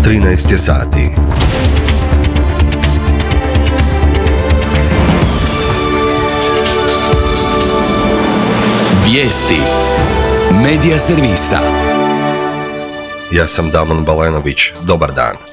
13 je sati. Vijesti Medija servisa. Ja sam Damon Balenović. Dobar dan.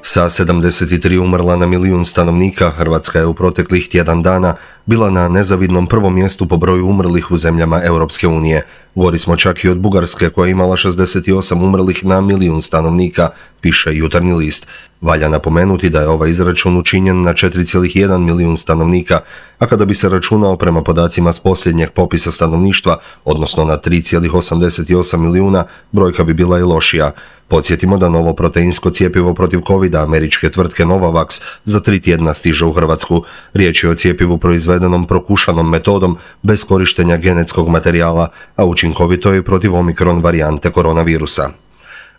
Sa 73 umrla na milijun stanovnika, Hrvatska je u proteklih tjedan dana bila na nezavidnom prvom mjestu po broju umrlih u zemljama Europske unije. Gori smo čak i od Bugarske koja je imala 68 umrlih na milijun stanovnika, piše Jutarnji list. Valja napomenuti da je ovaj izračun učinjen na 4,1 milijun stanovnika, a kada bi se računao prema podacima s posljednjeg popisa stanovništva, odnosno na 3,88 milijuna, brojka bi bila i lošija. Podsjetimo da novo proteinsko cjepivo protiv covida američke tvrtke Novavax za 3 tjedna stiže u Hrvatsku. Riječ je o cjepivu proizvedenom prokušanom metodom bez korištenja genetskog materijala, a učinkovito je protiv omikron varijante koronavirusa.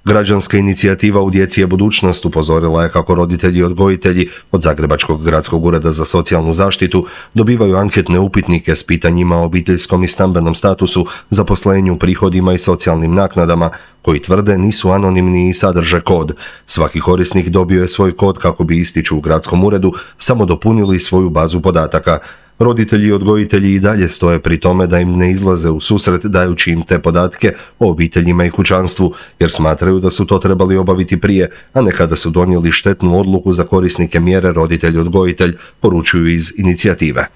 Građanska inicijativa U djeci je budućnost upozorila je kako roditelji i odgojitelji od Zagrebačkog gradskog ureda za socijalnu zaštitu dobivaju anketne upitnike s pitanjima o obiteljskom i stambenom statusu, zaposlenju, prihodima i socijalnim naknadama, koji tvrde nisu anonimni i sadrže kod. Svaki korisnik dobio je svoj kod kako bi, ističu u gradskom uredu, samo dopunili svoju bazu podataka. Roditelji i odgojitelji i dalje stoje pri tome da im ne izlaze u susret dajući im te podatke o obiteljima i kućanstvu, jer smatraju da su to trebali obaviti prije, a ne kada su donijeli štetnu odluku za korisnike mjere roditelj-odgojitelj, poručuju iz inicijative.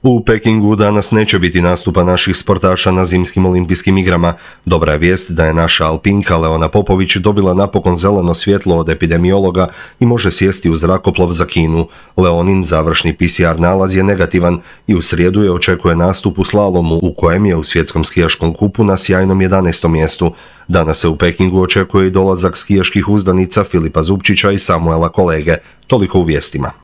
U Pekingu danas neće biti nastupa naših sportaša na zimskim olimpijskim igrama. Dobra je vijest da je naša alpinka Leona Popović dobila napokon zeleno svjetlo od epidemiologa i može sjesti u zrakoplov za Kinu. Leonin završni PCR nalaz je negativan i u srijedu je očekuje nastup u slalomu u kojem je u svjetskom skijaškom kupu na sjajnom 11. mjestu. Danas se u Pekingu očekuje i dolazak skijaških uzdanica Filipa Zupčića i Samuela Kolege. Toliko u vijestima.